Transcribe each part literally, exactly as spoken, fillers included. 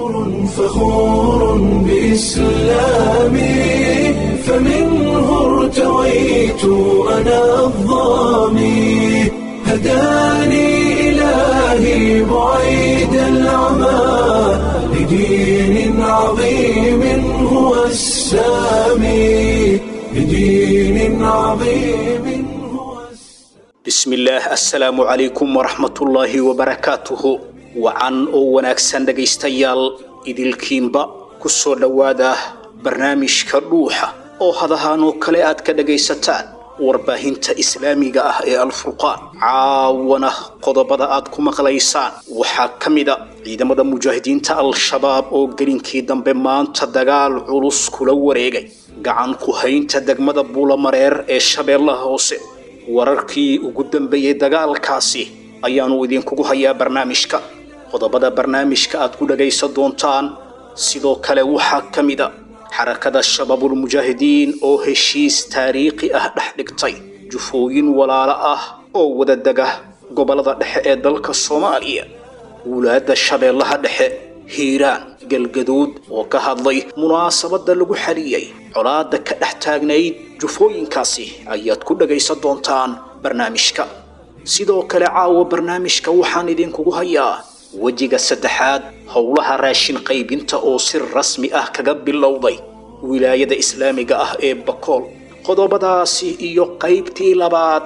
فخور بإسلامي فمنه ارتويت أنا الظامي هداني إلهي بعيد العمى لدين عظيم هو السامي لدين عظيم هو السامي. Bismillaah, assalaamu calaykum waraxmatullaahi wabarakaatuhu. Wacan oo wanaagsan dhegaystayaal idilkiinba, ku soo dhowaada barnaamijka Dhuuxa oo hadahaan oo kale aad ka dhagaysataan warbaahinta islaamiga ah ee Alfurqaan. Caawana qodobada aad ku maqlaysaan waxaa ka mid a ciidamada mujaahidiinta Al-Shabaab oo gelinkii dambe maanta dagaal culus kula wareegay gacan ku haynta degmada Buulamareer ee Shabeellaha Hoose. Wararkii ugu dambeeyey dagaalkaasi ayaanu idinkugu hayaa barnaamijka. Qodobada barnaamijka aad ku dhagaysan doontaan sidoo kale waxaa ka mid a Xarakada Shabaabulmujaahidiin oo heshiis taariikhi ah dhex dhigtay jufooyin walaalo ah oo wada dega gobollada dhexe ee dalka Soomaaliya. Wulaadda Shabeellaha Dhexe, Hiiraan, Galgaduud oo ka hadlay munaasabadda lagu xaliyey colaadda ka dhex taagnayd jufooyinkaasi ayaad ku dhagaysan doontaan barnaamijka. Sidoo kale caawa barnaamijka waxaan idinkugu hayaa wejiga saddexaad howlaha raashin qaybinta oo si rasmi ah kaga bilowday wilaayada islaamiga ah ee Bakool. Qodobadaasi iyo qaybtii labaad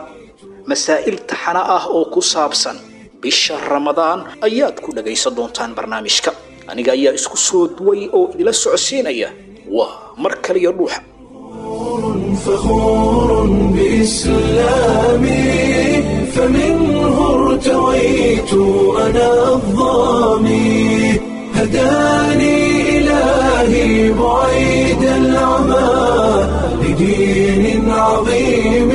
masaa'il taxana ah oo ku saabsan bisha Ramadaan ayaad ku dhagaysan doontaan barnaamijka. Aniga ayaa isku soo duway oo idila socodsiinaya. Waa mar kaliya Dhuuxa. فخور بإسلامي فمنه ارتويت أنا الظامي هداني إلهي بعيد العمى لدين عظيم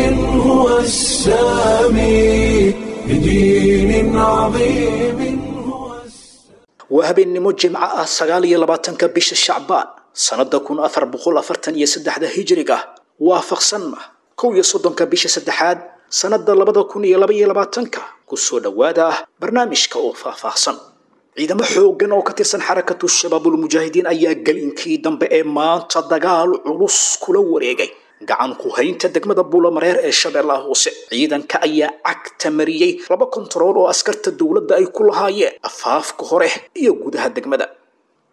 هو السامي لدين عظيم هو السامي. Waa habeennimo Jimco ah, sagaal iyo labaatanka bisha Shacbaan sanada kun afar boqol afartan iyo saddexda hijriga, waafaqsanna kow iyo soddonka bisha saddexaad sanada labada kun iyo laba iyo labaatanka. Kusoo dhowaada barnaamijka oo faahfaahsan. Ciidamo xooggan oo ka tirsan Xarakatu Shabaabulmujaahidiin ayaa gelinkii dambe ee maanta dagaal culus kula wareegay gacan ku haynta degmada Buulamareer ee Shabeellaha Hoose. Ciidanka ayaa cagta mariyey laba kontarool oo askarta dowladda ay ku lahaayeen afaafka hore iyo gudaha degmada.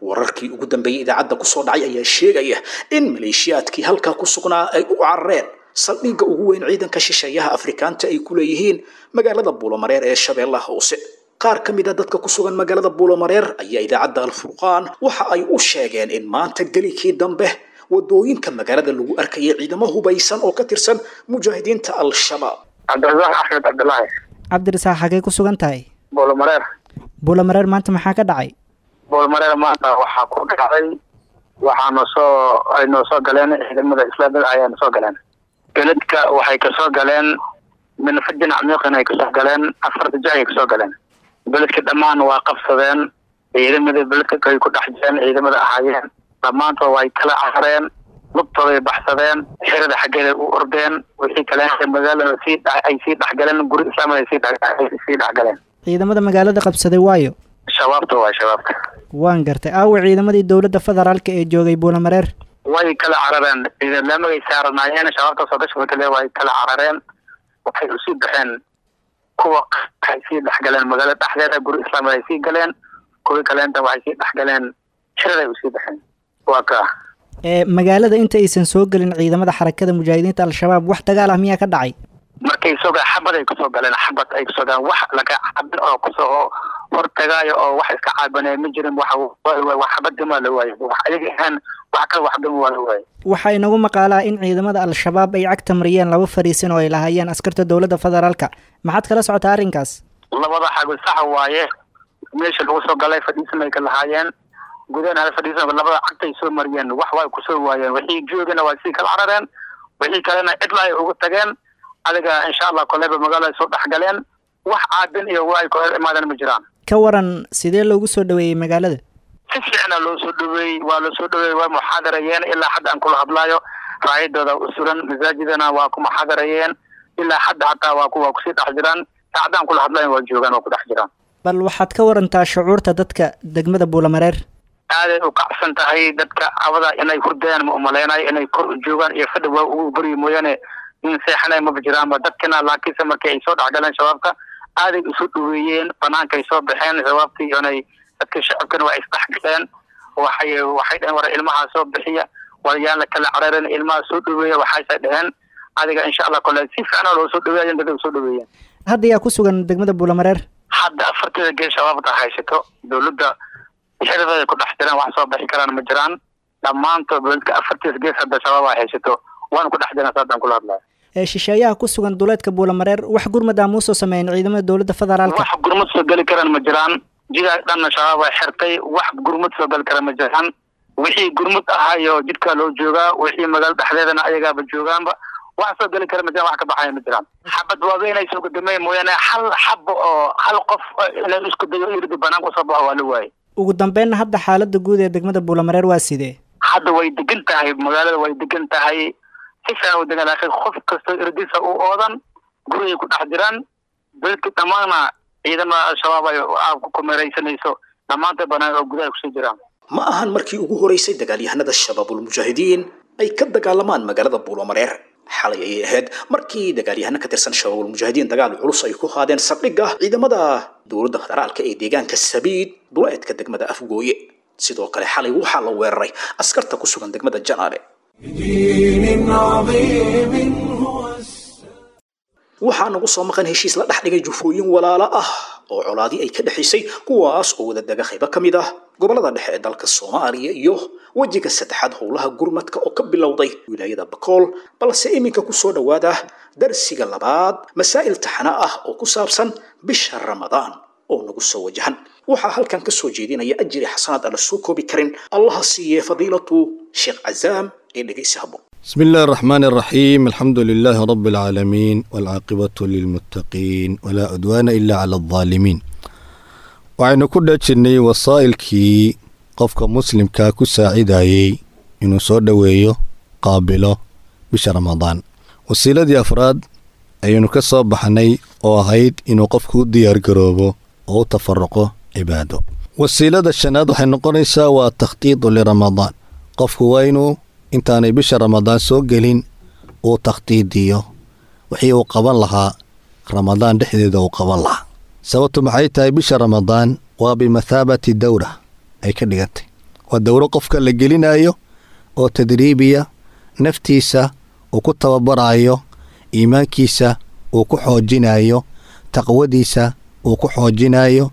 Wararkii ugu dambeeyey idaacadda kusoo dhacay ayaa sheegaya in maleeshiyaadkii halkaa ku sugnaa ay u carareen saldhigga ugu weyn ciidanka shisheeyaha Afrikaanta ay ku leeyihiin magaalada Buulamareer ee Shabeellaha Hoose. Qaar ka mid a dadka ku sugan magaalada Buulamareer ayaa idaacadda Alfurqaan waxa ay u sheegeen in maanta gelinkii dambe wadooyinka magaalada lagu arkayay ciidamo hubaysan oo ka tirsan mujaahidiinta Al-Shabaab. Cabdirasaaq Axmed Cabdilaahi. Cabdirasaaq, xagee ku sugan tahay? Boolomareer. Buulamareer maanta maxaa ka dhacay? Boolomareer maanta waxaa ku dhacday, waxaana soo ay noo soo galeen ciidamada islaamida ayaana soo galeen beledka. Waxay kasoo galeen min fajin camiiqin ay kasoo galeen, afarta jec ay kasoo galeen beledka. Dhammaan waa qabsadeen ciidamada beledka ay ku dhex jireen. Ciidamada ahaayeen dhammaantood way kala carareen, lugtooday baxsadeen, xerada xaggeeda u ordeen. Wixii kale magaalada sii ay sii dhexgaleen, guri islaamada ay sii ay sii dhexgaleen. Ciidamada magaalada qabsaday waayo? Shabaabta waa shabaabka. Waan gartay. Aawa ciidamadii dowladda federaalka ee joogay Buulamareer? Way kala carareen, ciidamagay saaranaayeen shabaabta soo gasha kale way kala carareen. Waxay usii baxeen kuwa waxay sii dhexgaleen magaalada dhexdeeda, guri islaamada ay sii galeen. Kuwii kaleenta waxay sii dhexgaleen xeraday usii baxeen, waa kaa. Ee magaalada inta aysan soo gelin ciidamada Xarakada Mujaahidiinta Al-Shabaab wax dagaal ah miyaa ka dhacay? Markay soo galeen xabad ay kusoo galeen, xabad ay kusoo galeen. Wax laga cabin oo kusoo hortagaayo oo wax iska caabanaya ma jirin. Waxa wax xabadima la waayay, wax ayaga ahaan wax kale waxdama waa la waayay. Waxaa inagu maqaalaa in ciidamada Al-Shabaab ay cagta mariyeen laba fariisin oo ay lahaayeen askarta dowladda federaalka. Maxaad kala socotaa arrinkaas? Labada xago sax waaye. Meesha lagu soo galay fadhiisan ay ka lahaayeen gudahan hal fadhiisan, labada cagtay soo mariyeen. Wax way kusoo waayeen, wixii joogana waa sii kala carareen, wixii kalena cidla ay ugu tageen. Adiga insha Allah koleyba magaalada soo dhexgaleen, wax caabin iyo waa ay ku hor imaadeen ma jiraan. Ka waran, sidee loogu soo dhaweeyey magaalada? Si fiicna loo soo dhaweeyey, waa loo soo dhaweeyey, waa muxaadarayeen. Ilaa hadda aan kula hadlaayo raayadooda u suran masaajidana waa ku muxaadarayeen. Ilaa hadda hataa waa kuwa kusii dhex jiraan, saacadaan kula hadlayo waa joogaan, waa ku dhex jiraan. Bal waxaad ka warantaa shucuurta dadka degmada Buulamareer. Aaday u kacsan tahay dadka cabada inay hurdayaan ma umaleynayo, inay kor u joogaan iyo fadhi waa ugu baryi mooyaane nin seexanay maba jiraanba dadkana. Laakiinse markii ay soo dhexgaleen shabaabka aaday isu dhaweeyeen, banaanka ay soo baxeen shabaabkii inay dadka shacabkana waa isdhexgaleen. Waxay waxay dheheen war ilmaha soo bixiya, war yaan la kala cararin, ilmaha soo dhaweeya. Waxayse dheheen adiga insha Allah kole si fiican loo soo dhaweeya, dadka soo dhaweeyeen. Hadda yaa ku sugan degmada Buulamareer? Hadda afarteeda geel shabaabta haysato, dowladda xirideeda ku dhex jiraan, wax soo bixi karaan ma jiraan. Dhammaantood beledka afartiis gees hadda shabaab ay haysato, waana ku dhex jiraan saadaan kula hadlaya. Ee shisheeyaha ku sugan duleedka Buulamareer wax gurmad ah muusoo sameeyeen ciidamada dowladda federaalka? Wax gurmad soo geli karaan ma jiraan, jidaa dhanna shabaab ay xirtay, wax gurmad soo geli karaan ma jiraan. Wixii gurmad ahayo jidkaa loo joogaa, wixii magaalo dhexdeedana ayagaaba joogaanba, wax soo geli kara ma jiraan, wax ka baxaya ma jiraan. Xabad waaweyn ay soo gudameen mooyaane hal xabo oo hal qof inay isku dayo irdi banaanka usoo baxo waa la waayey. Ugu dambeynna hadda xaaladda guud ee degmada Buulamareer waa sidee? Hadda way degan tahay magaalada, way degan tahay, si fiican u degan, laakiin qof kastoo irdisa u oodan gurigay ku dhex jiraan. Beledka dhammaana ciidamada al-shabaab ay ku kumeeraysanayso dhammaanta banaan oo gudaha kusoo jiraan. Ma ahan markii ugu horeysay dagaalyahanada Shabaabulmujaahidiin ay ka dagaalamaan magaalada Buulomareer. Xalay ayay ahayd markii dagaalyahano ka tirsan Shabaabulmujaahidiin dagaal culus ay ku qaadeen saldhigga ciidamada dowladda federaalka ee deegaanka Sabiid duleedka degmada Afgooye. Sidoo kale xalay waxaa la weeraray askarta ku sugan degmada Janaale. بدين عظيم هو السلام. Waxaa nagu soo maqan heshiis la dhex dhigay jufooyin walaalo ah oo colaadii ay ka dhexaysay, kuwaas oo wada dega qaybo ka mid ah gobollada dhexe ee dalka Soomaaliya, iyo wejiga saddexaad howlaha gurmadka oo ka bilowday wilaayada Bakool. Balse iminka ku soo dhowaada darsiga labaad masaa'il taxana ah oo ku saabsan bisha Ramadaan oo nagu soo wajahan. Waxaa halkan ka soo jeedinaya ajri xasanaad aan la soo koobi karin Allaha siiye fadiilatu Sheekh Cazaam ee dhegeysi habboon. بسم الله الرحمن الرحيم، الحمد لله رب العالمين، والعاقبة للمتقين، ولا عدوان إلا على الظالمين. Waxaynu ku dhajirnay wasaa'ilkii qofka muslimkaa ku saacidayey inuu soo dhoweeyo, qaabilo bisha Ramadaan. Wasiiladii afraad ayaynu ka soo baxnay oo ahayd inuu qofku u diyaargaroobo oo u tafaruqo cibaado. Wasiilada shanaad waxay noqonaysaa waa takhtiidu liramadaan. Qofku waa inuu intaanay bisha Ramadaan soo gelin uu takhtiidiyo wixii uu qaban lahaa Ramadaan dhexdeeda uu qaban lahaa. Sababtu maxay tahay? Bisha Ramadaan waa bimathaabati dowra ay ka dhigantay, waa dowro qofka la gelinayo oo tadriibiya, naftiisa uu ku tababarayo, iimaankiisa uu ku xoojinayo, taqwadiisa uu ku xoojinayo,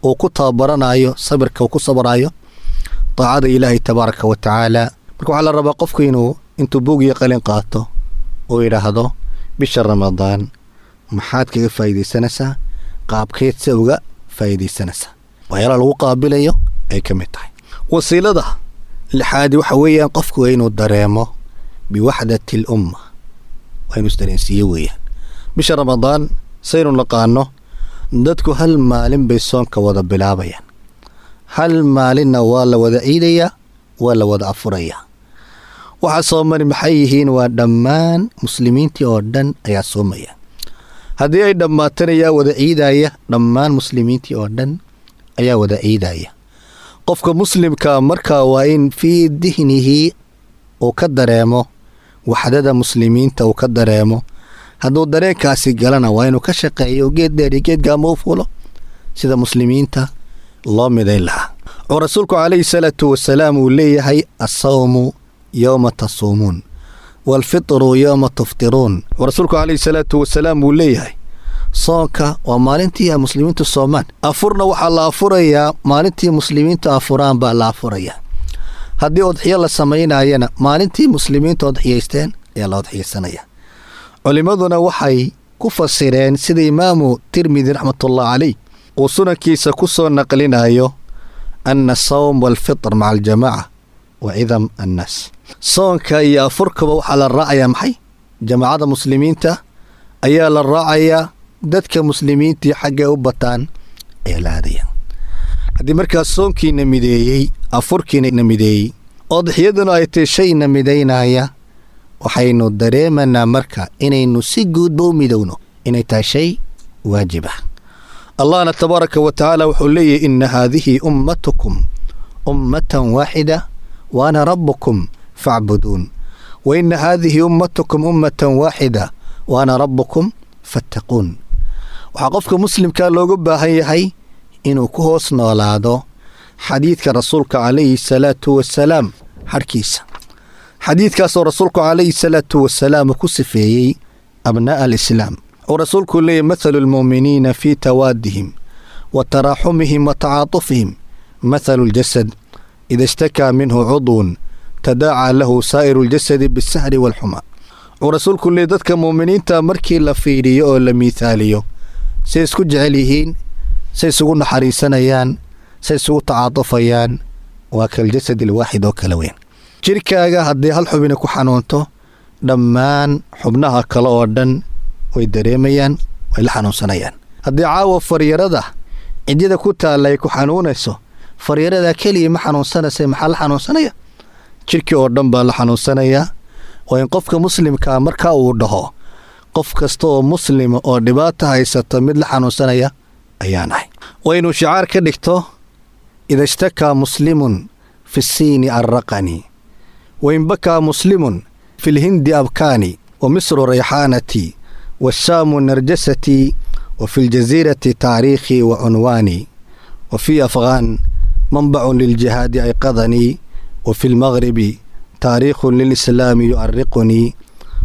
uu ku tababaranayo sabirka, uu ku sabrayo daacada Ilaahay tabaaraka wa tacaala. Marka waxaa la rabaa qofku inuu intuu buug iyo qalin qaato oo yidhaahdo bisha Ramadaan maxaad kaga faa'iidaysanaysaa, qaabkeed se uga faa'iidaysanaysaa, waxyaalaha lagu qaabilayo ay ka mid tahay. Wasiilada lixaadi waxa weeyaan qofku waa inuu dareemo biwaxdati al umma, waa inuu isdareensiiyo weeyaan. Bisha Ramadaan saynu naqaano dadku hal maalin bay soonka wada bilaabayaan, hal maalinna waa la wada ciidayaa, waa la wada afurayaa. Waxa soomani maxay yihiin? Waa dhammaan muslimiintii oo dhan ayaa soomaya. Haddii ay dhammaatana yaa wada ciidaya? Dhammaan muslimiintii oo dhan ayaa wada ciidaya. Qofka muslimka markaa waa in fii dihnihi uu ka dareemo waxdada muslimiinta uu ka dareemo. Hadduu dareenkaasi galana waa inuu ka shaqeeyo geed dheer iyo geed gaama u fuulo sida muslimiinta loo midayn lahaa, oo rasuulku calayhi salaatu wasalaam uu leeyahay: asawmu yowma tasuumuun waalfitru yowma tuftiruun. Oo rasuulku calayhi salaatu wasalaam uu leeyahay soonka waa maalintii ay muslimiintu soomaan, afurna waxaa la afurayaa maalintii muslimiintu afuraan baa la afurayaa. Haddii udxiyo la samaynayana maalintii muslimiintu udxiyaysteen ayaa la udxiyaysanaya. Culimmaduna waxay ku fasireen sida Imaamu Tirmidi raxmatullah caleyh uu sunankiisa ku soo naqlinayo ana asawm waalfitr maca aljamaaca wa cidam annaas. Soonka iyo afurkaba waxaa la raacayaa maxay? Jamaacada muslimiinta ayaa la raacayaa, dadka muslimiintii xaggay u bataan ayaa la aadaya. Haddii markaas soonkiina mideeyey, afurkiina mideeyey, odxiyaduna ay tahy shayna midaynaya, waxaynu dareemanaa marka inaynu si guudba u midowno inay tahay shay waajib ah. Allahna tabaaraka wa tacaala wuxuu leeyahy: ina haadihi ummatukum ummatan waaxida wa ana rabbukum facbuduun, wa ina haadihi ummatukum ummatan waaxida wa ana rabbukum fattaquun. Waxaa qofka muslimkaa looga baahan yahay inuu ku hoos noolaado xadiidka rasuulka calayhi salaatu wasalaam xadhkiisa, xadiidkaasoo rasuulku calayhi salaatu wasalaam ku sifeeyey abnaa'a alislaam. Uu rasuulku leeyahy: mathalu almu'miniina fii tawaadihim wa taraaxumihim wa tacaatufihim mathalu aljasad, ida ishtakaa minhu cudwun tadaacaa lahu saa'iru aljasadi bisahri waalxumaa. Uu rasuulku leeyay dadka mu'miniinta markii la fiiriyo oo la miithaaliyo, say isku jecel yihiin, say isugu naxariisanayaan, say isugu tacaatufayaan, waa kaljasad alwaaxid oo kala weyn. Jirkaaga haddii hal xubina ku xanuunto, dhammaan xubnaha kale oo dhan way dareemayaan, way la xanuunsanayaan. Haddii caawa faryarada cidyada ku taalla ay ku xanuunayso, faryarada keliya ma xanuunsanaysa, maxaa la xanuunsanaya? Jirkii oo dhan baa la xanuunsanayaa. Waa in qofka muslimkaa marka uu dhaho qof kasta oo muslima oo dhibaato haysato mid la xanuunsanaya ayaan ahay. Waa inuu shicaar ka dhigto: ida ishtakaa muslimun fi siini arraqani, wain bakaa muslimun fi lhindi abkaani, wa misru rayxaanatii, waashaamu narjasatii, wa fi ljaziirati taariikhii wa cunwaanii, wa fii afghaan manbacun liljihaadi ayqadanii, wa fi lmagribi taariikhun lilislaami yu'ariqunii,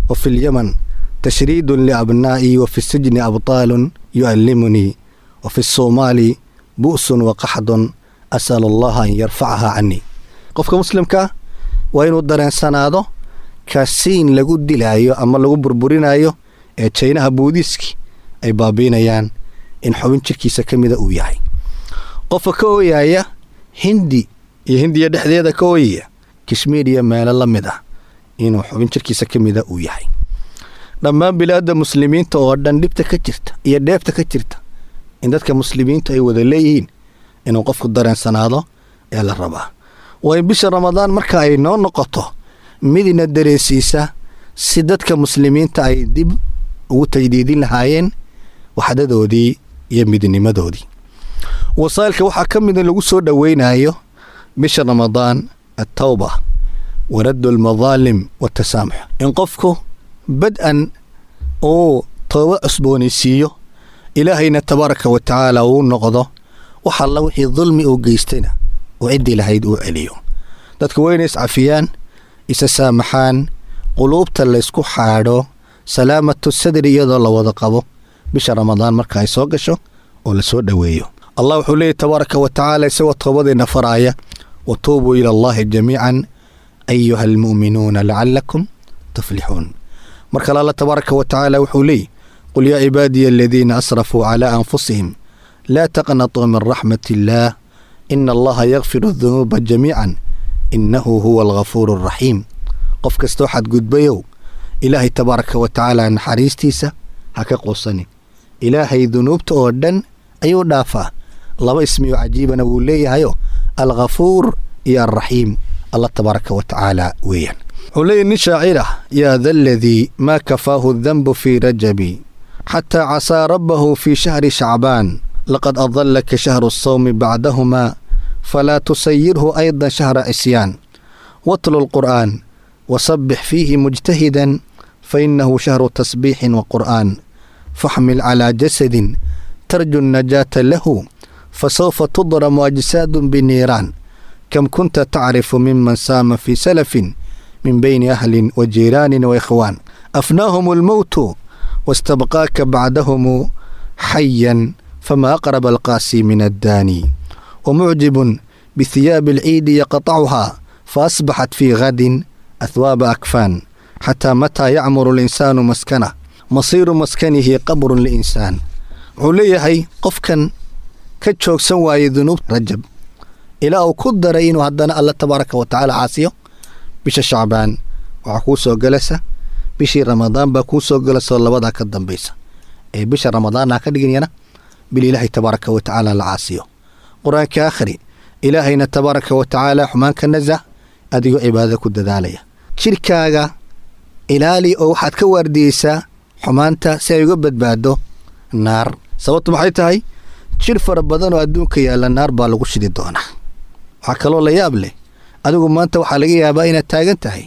wa fi lyaman tashriidun liabnaa'ii, wa fi sijni abtaalun yu'allimunii, wa fi soomaali bu'sun wa qaxdun as'al allaha an yarfacaha canii. Qofka muslimka waa inuu dareensanaado kasiin lagu dilaayo ama lagu burburinayo ee jaynaha buudiiski ay baabiinayaan in xubin jirkiisa ka mida uu yahay. Qofka ka ooyaya Hindi iyo Hindiya dhexdeeda ka ooyaya, Kashmiir iyo meelo la mid ah, inuu xubin jirkiisa ka mida uu yahay. Dhammaan bilaadda muslimiinta oo dhan dhibta ka jirta iyo dheefta ka jirta in dadka muslimiintu ay wada leeyihiin inuu qofku dareensanaado ee la rabaa. Waa in bisha Ramadaan marka ay noo noqoto midina dareensiisa si dadka muslimiinta ay dib ugu tajdiidin lahaayeen waxdadoodii iyo midnimadoodii. Wasaa'ilka waxaa ka mid in lagu soo dhoweynayo bisha Ramadaan altawba wa raddu almadaalim watasaamux, in qofku bad-an uu tooba cusboonaysiiyo, Ilaahayna tabaaraka wa tacaala uu noqdo, wax alla wixii dulmi uu geystayna uu ciddii lahayd uu celiyo. Dadka waa inay iscafiyaan, isa saamaxaan, quluubta laysku xaadho, salaamatu sadri iyadoo la wada qabo bisha Ramadaan marka ay soo gasho oo la soo dhoweeyo. Allah wuxuu leeyahy tabaaraka wa tacaala isagoo toobadeenna faraaya: watuubuu ila allahi jamiican ayuha almu'minuuna lacalakum tuflixuun. Mar kale Alla tabaaraka wa tacaala wuxuu leeyahy: qul yaa cibaadiya aladiina asrafuu calaa anfusihim laa taqnatuu min raxmat illaah, ina allaha yakfiru adunuuba jamiican, innahu huwa alghafuuru alraxiim. Qof kastoo xadgudbayow, Ilaahay tabaaraka wa tacaala naxariistiisa ha ka quusanin. Ilaahay dunuubta oo dhan ayuu dhaafaa. Laba ismiyo cajiibana wuu leeyahayo, Alghafuur iyo Alraxiim, Allah tabaaraka wa tacaala weeyaan. Wuxuu leeyahy nin shaacir ah: yaa da aladii maa kafaahu danbu fii rajabi xataa casaa rabbahu fii shahri shacbaan, laqad adallaka shahru asawmi bacdahumaa, falaa tusayirhu aydan shahra cisyaan. Watlu alqur'aan wasabbix fiihi mujtahidan, fainahu shahru tasbiixin wa qur'aan. Faxmil calaa jasadin tarju annajaata lahu, fasawfa tudramu ajsaadun biniiraan. Kam kunta tacrifu miman saama fii salafin min bayni ahlin wa jiiraanin wa ikhwaan, afnaahum almowtu wastabqaaka bacdahumu xayan, fama aqraba alqaasi min addaani. Wamucjibun bihiyaabi alciidi yaqtacuhaa, faasbaxat fii gadin ahwaaba akfaan. Xataa mataa yacmuru alinsaanu maskanah, masiiru maskanihi qabrun liinsaan. Wuxuu leeyahay qofkan ka joogsan waayey dunuub Rajab ilaa uu ku daray inuu haddana Alla tabaaraka wa tacaala caasiyo bisha Shacbaan, waxaa kuu soo galaysa bishii Ramadaan baa kuu soo galaysaoo labadaa ka dambaysa ee bisha Ramadaanna ka dhiginyana bil Ilaahay tabaaraka wa tacaala la caasiyo. Qur-aanka akhri, Ilaahayna tabaaraka wa tacaala xumaan ka nasah, adigoo cibaadada ku dadaalaya. Jirkaaga ilaali oo waxaad ka waardiyeysaa xumaanta si ay uga badbaado naar. Sababtu maxay tahay? Jir fara badan oo adduunka yaalla naar baa lagu shidi doonaa. Waxaa kaloo la yaab leh, adigu maanta waxaa laga yaabaa inaad taagan tahay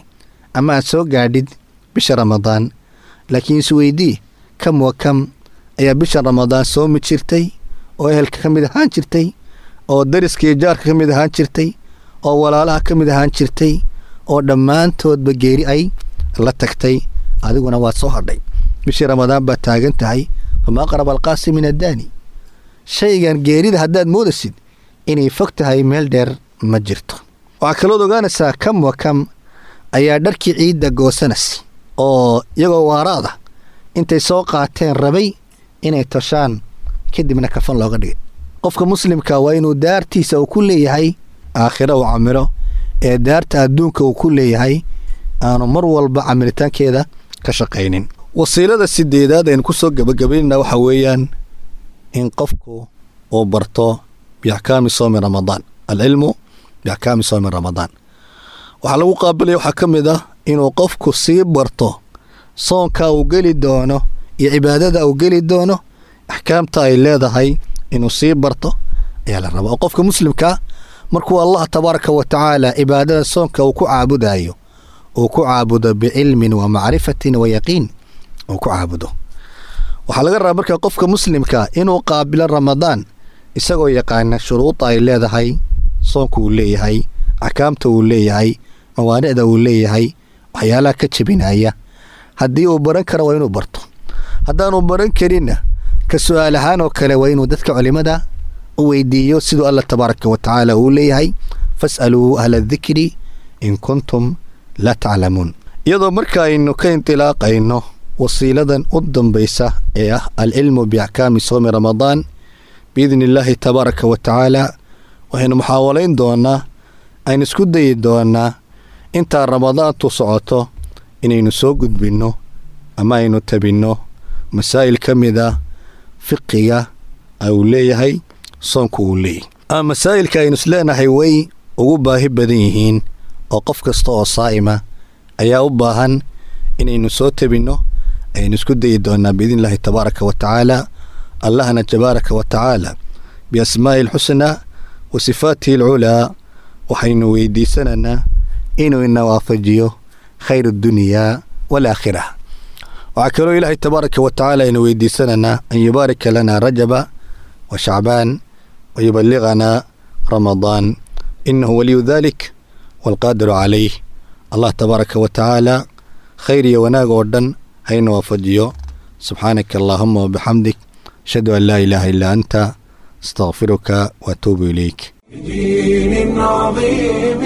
ama aad soo gaadhid bisha Ramadaan, laakiin isweydii kam wa kam ayaa bisha Ramadaan soomi jirtay oo ehelka ka mid ahaan jirtay, oo dariska iyo jaarka ka mid ahaan jirtay, oo walaalaha ka mid ahaan jirtay, oo dhammaantoodba geeri ay la tagtay, adiguna waad soo hadhay. Bishii Ramadaan baad taagan tahay. Fama aqraba alqaasi min addaani. Shaygan geerida haddaad moodasid inay fog tahay, meel dheer ma jirto. Waxaa kalood ogaanaysaa kam wa kam ayaa dharkii ciidda goosanas oo iyagoo waaraada intay soo qaateen rabay inay toshaan, kadibna kafan looga dhigay. Qofka muslimka waa inuu daartiisa uu ku leeyahay aakhiro uu camiro, ee daarta adduunka uu ku leeyahay aanu mar walba camiritaankeeda ka shaqaynin. Wasiilada sideedaad aynu ku soo gebagabaynana waxa weeyaan in qofku uu barto biaxkaami soomi Ramadaan, alcilmu biaxkaami soomi Ramadaan. Waxaa lagu qaabilaya waxaa ka mid ah inuu qofku sii barto soonka uu geli doono iyo cibaadada uu geli doono, axkaamta ay leedahay inuu sii barto ayaa la rabaa. Oo qofka muslimkaa markuu Allah tabaaraka wa tacaala cibaadada soonka uu ku caabudayo, uu ku caabudo bicilmin wa macrifatin wa yaqiin uu ku caabudo. Waxaa laga rabaa marka qofka muslimka inuu qaabilo Ramadaan isagoo yaqaana shuruuda ay leedahay soonku uu leeyahay, axkaamta uu leeyahay, mawaanicda uu leeyahay, waxyaalaha ka jebinaya. Haddii uu baran karo waa inuu barto, haddaanu baran karinna ka su-aal ahaan oo kale waa inuu dadka culimada u weydiiyo, siduu Allah tabaaraka wa tacaala uu leeyahay: fas'aluu ahla adikri in kuntum laa taclamuun. Iyadoo marka aynu ka intilaaqayno wasiiladan u dambaysa ee ah alcilmu biaxkaami soomi Ramadaan, biidni illaahi tabaaraka wa tacaala waxaynu muxaawalayn doonaa, aynu isku dayi doonaa intaa Ramadaantu socoto inaynu soo gudbinno ama aynu tabinno masaa'il ka mid ah fiqiga uu leeyahay soonku uu leeyahay, ama masaa'ilka aynu isleenahay way ugu baahi badan yihiin oo qof kasta oo saa'ima ayaa u baahan inaynu soo tabinno, aynu isku dayi doonaa biidni illaahi tabaaraka wa tacaala. Allahna tabaaraka wa tacaala biasmaa'i alxusnaa wa sifaatihi alculaa waxaynu weydiisanaynaa inuu ina waafajiyo khayr addunyaa waalaakhira. Waxaa kaloo Ilaahay tabaaraka wa tacaala aynu weydiisanaynaa an yubaarika lana Rajaba wa Shacbaan wa yuballiganaa Ramadaan, innahu waliyu dalik waalqaadiru calayh. Allah tabaaraka wa tacaala khayr iyo wanaag oo dhan hayna waafajiyo. Subxaanaka allaahuma wabixamdik, ashhadu an laa ilaaha illaa anta, astaqfiruka waatuubu ilayk. بدين عظيم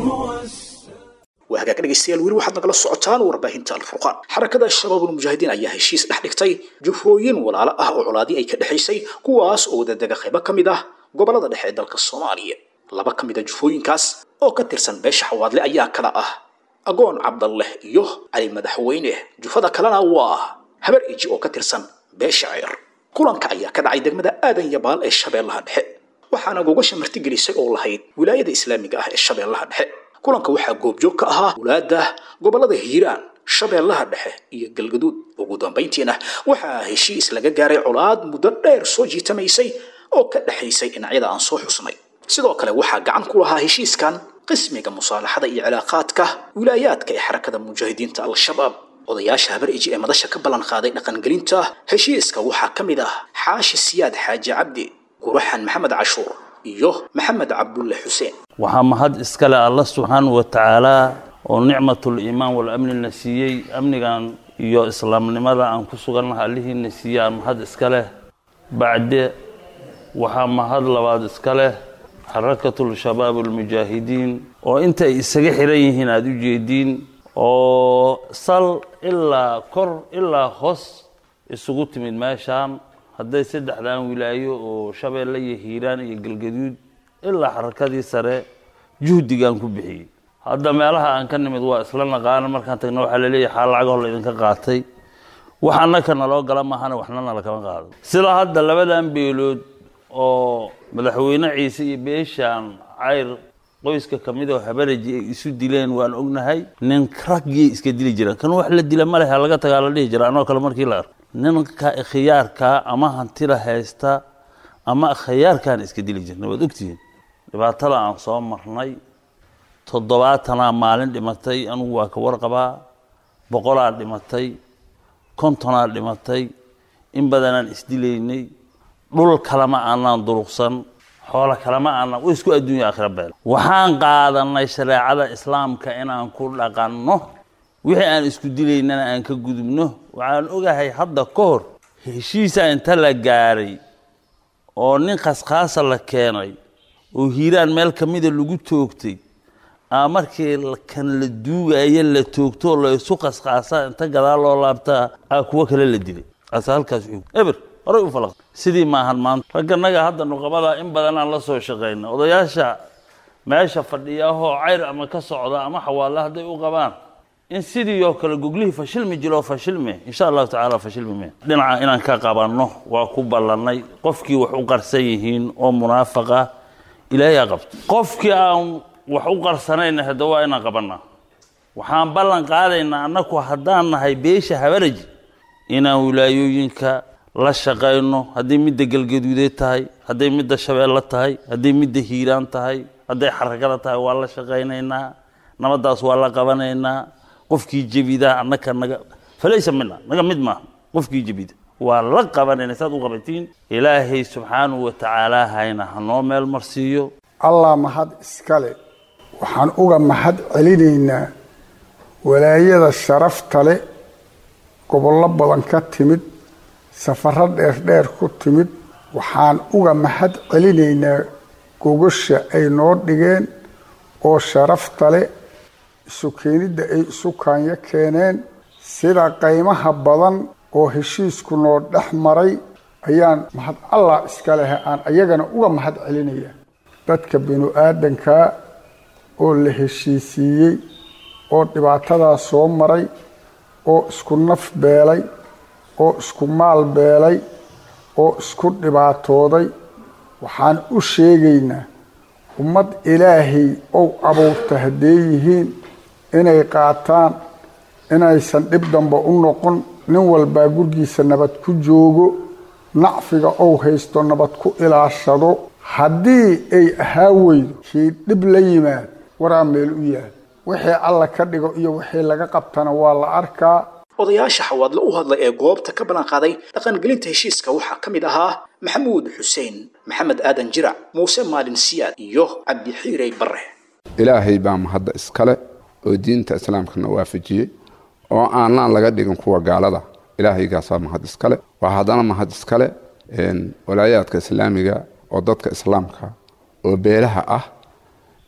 هو السلام. Waa hagaag dhegaystayaal, weli waxaad nagala socotaan warbaahinta Alfurqaan. Xarakada Shabaabul Mujaahidiin ayaa heshiis dhex dhigtay jufooyin walaalo ah oo colaadii ay ka dhexaysay, kuwaas oo wadadega qaybo ka mid ah gobollada dhexe ee dalka Soomaaliya. Laba ka mid a jufooyinkaas oo ka tirsan beesha Xawaadle ayaa kala ah Agoon Cabdalleh iyo Cali Madaxweyne, jufada kalena waa Habar Iji oo ka tirsan beesha Ceyr. Kulanka ayaa ka dhacay degmada Aadan Yabaal ee Shabeellaha Dhexe, waxaana gogasha martigelisay oo lahayd wilaayada islaamiga ah ee Shabeellaha Dhexe. Kulanka waxaa goobjoog ka ahaa wulaadda gobollada Hiiraan, Shabeellaha Dhexe iyo Galgaduud. Ugu dambayntiina waxaa heshiis laga gaaray colaad muddo dheer soo jiitamaysay oo ka dhexaysay dhinacyada aan soo xusnay. Sidoo kale waxaa gacan ku lahaa heshiiskan qismiga musaalaxada iyo cilaaqaadka wilaayaadka ee Xarakada Mujaahidiinta Al-Shabaab. Odayaasha Habar Iji ee madasha ka ballan qaaday dhaqangelinta heshiiska waxaa ka mid ah Xaashi Siyaad Xaaji Cabdi, Guraxan Maxamed Cashuur iyo Maxamed Cabdulle Xuseen. Waxaa mahad iskale Alla subxaanahu wa tacaalaa oo nicmatul iimaan wal amnina siiyey, amnigan iyo islaamnimada aan ku sugannaha Allihiina siiyey aan mahad iska leh. Bacde waxaa mahad labaad iska leh Xarakatul Shabaab almujaahidiin oo intay isaga xiran yihiin aada u jeediin, oo sal ilaa kor ilaa hoos isugu timid meeshaan, hadday saddexdan wilaayo oo Shabeelle iyo Hiiraan iyo Galgaduud ilaa xarakadii sare juhdigaan ku bixiyey. Hadda meelaha aan ka nimid waa isla naqaana, markaan tagna waxaa laleeyahay xaal lacag hor laydinka qaatay, wax annaka naloo gala maahana waxna nala kama qaado. Sida hadda labadan beelood oo madaxweyne Ciise iyo beeshaan Cayr qoyska ka mid oo Habaraji ay isu dileen waan ognahay. Nin raggii iska dili jiraan kan wax la dila ma lehe, laga tagaa la dhihi jira. Anoo kale markii la arko ninka khiyaarkaa ama hantida haysta ama khiyaarkaan iska dili jirna, waad ogtihiin. Dhibaatada aan soo marnay toddobaatanaa maalin dhimatay, anugu waa ka warqabaa. Boqolaa dhimatay, kontonaa dhimatay, in badanaan isdilaynay. Dhul kalema aanaan duruqsan, xoolo kalema aanaan way isku adduunya aakhira beel. Waxaan qaadanay shareecada islaamka inaan ku dhaqanno, wixii aan isku dilaynana aan ka gudubno. Waxaan ogahay hadda ka hor heshiisa inta la gaaray oo nin khaskhaasa la keenay oo Hiiraan meel ka mida lagu toogtay, aa markii kan la duugaya la toogto la isu khaskhaasaa inta gadaal loo laabtaa aa kuwo kale la dilay. Ase halkaas eber horay u falaq sidii maahan. Maanta ragganaga hadda nuqabada in badanaan la soo shaqayna, odayaasha meesha fadhiyaahoo cayr ama ka socda ama xawaale hadday u qabaan in sidii oo kale goglihii fashilmi jiroo fashilmi, insha Allahu tacaala fashilmi me dhinaca inaan ka qabanno waa ku ballannay. Qofkii wax u qarsan yihiin oo munaafaqa Ilaahay ha qabto, qofkii aan wax u qarsanayna hadda waa inaan qabannaa. Waxaan ballan qaadaynaa annaku haddaan nahay beesha Habaraji inaan wilaayooyinka la shaqayno, hadday midda Galgaduudeed tahay, hadday midda Shabeelle tahay, hadday midda Hiiraan tahay, hadday Xarakada tahay, waa la shaqaynaynaa, nabaddaas waa la qabanaynaa. Qofkii jebida annaka naga falaysa mina, naga mid maaha. Qofkii jebida waa la qabanayna saad u qabatiin. Ilaahay subxaanahu wa tacaala hayna hanoo meel marsiiyo. Allah mahad iskale. Waxaan uga mahad celinaynaa walaayada sharafta leh, gobollo badan ka timid, safarro dheerdheer ku timid. Waxaan uga mahad celinaynaa gogosha ay noo dhigeen oo sharafta leh, isu keenidda ay isu kaanyo keeneen, sida qaymaha badan oo heshiisku noo dhex maray ayaan mahad Allah iska lehe aan ayagana uga mahad celinaya. Dadka binu aadankaa oo la heshiisiiyey oo dhibaatadaa soo maray oo isku naf beelay oo isku maal beelay oo isku dhibaatooday, waxaan u sheegaynaa ummad Ilaahay ou abuurta haddee yihiin inay qaataan, inaysan dhib damba u noqon. Nin walbaa gurgiisa nabad ku joogo, nacfiga ou haysto nabad ku ilaashado. Haddii ay ahaa weydo kii dhib la yimaad waraa meel u yaal, wixii Alla ka dhigo iyo wixii laga qabtana waa la arkaa. Odayaasha Xawaadle u hadlay ee goobta ka ballan qaaday dhaqangelinta heshiiska waxaa ka mid ahaa Maxamuud Xuseen Maxamed, Aadan Jirac, Muuse Maalin Siyaad iyo Cabdixiirey Barre. Ilaahay baa mahadda iskale oo diinta islaamkana waafajiyey oo aanaan laga dhigin kuwa gaalada. Ilaahaygaasaa mahad iskale. Waa haddana mahad iskale walaayaadka islaamiga oo dadka islaamka oo beelaha ah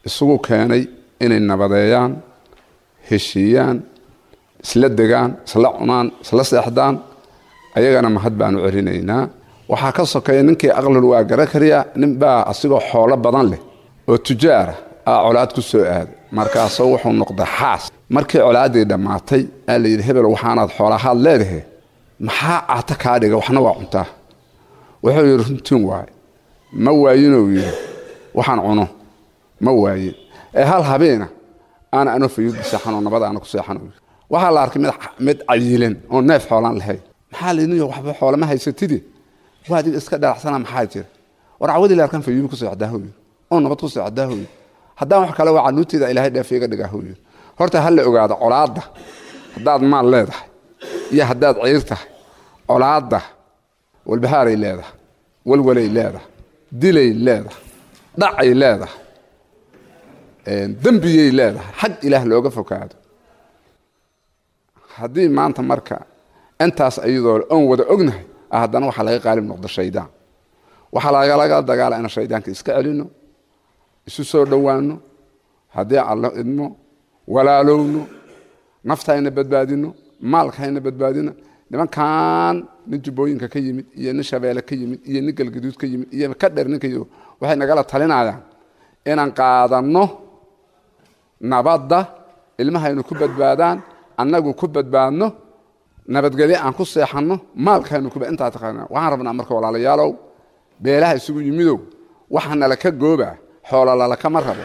isugu keenay inay nabadeeyaan, heshiiyaan, isla degaan, isla cunaan, isla seexdaan. Ayagana mahad baanu celinaynaa. Waxaa ka sokeeya ninkii aqlul waa gara kariya. Ninbaa asigoo xoolo badan leh oo tujaara aa colaad ku soo aaday, markaasoo wuxuu noqday xaas. Markii colaaddii dhammaatay aa la yidhi, hebel, waxaanaad xoolahaad leedahay maxaa cata kaa dhiga? Waxna waa cuntaa. Wuxuu yidhi, runtiin waaye, ma waayinuu yidhi, waxaan cuno ma waayin ee hal habeena aana anoo fayuudi seexanoo nabad aana ku seexan. Waxaa la arkay mid mid cayilan oo neef xoolaan lahayn. Maxaa laydin waxba xoolama haysatidi, waa adiga iska dhalacsana, maxaa jira? War cawadii la arkan fayuudi ku seexdaa hooyo oo nabad ku seexdaa hooyo, haddaan wax kale waa canuurteeda Ilaahay dheef iga dhigaa hooyo. Horta ha la ogaado colaadda, haddaad maal leedahay iyo haddaad ciir tahay, colaadda walbahaaray leedahay, walwalay leedahay, dilay leedahay, dhacay leedahay, dembiyay leedahay xag Ilaah looga fokaado. Haddii maanta marka intaas iyadoo oon wada ognahay, haddana waxaa laga qaalib noqdo shaydaan. Waxaa lagalaga dagaala inaan shaydaanka iska celino, isu soo dhowaano, haddii Allo idmo walaalowno, naftayna badbaadino, maalkayna badbaadino. Nimankan nin Jubbooyinka ka yimid iyo nin Shabeelle ka yimid iyo nin Galgaduud ka yimid iyo ka dheer ninka yimid waxay nagala talinayaan inaan qaadanno nabadda, ilmahaynu ku badbaadaan, annagu ku badbaadno, nabadgelyo aan ku seexanno, maalkaynu ku intaa taqaana. Waxaan rabnaa marka, walaalayaalow, beelaha isugu yimidow, waxa nala ka gooba xoola lalakama rabo,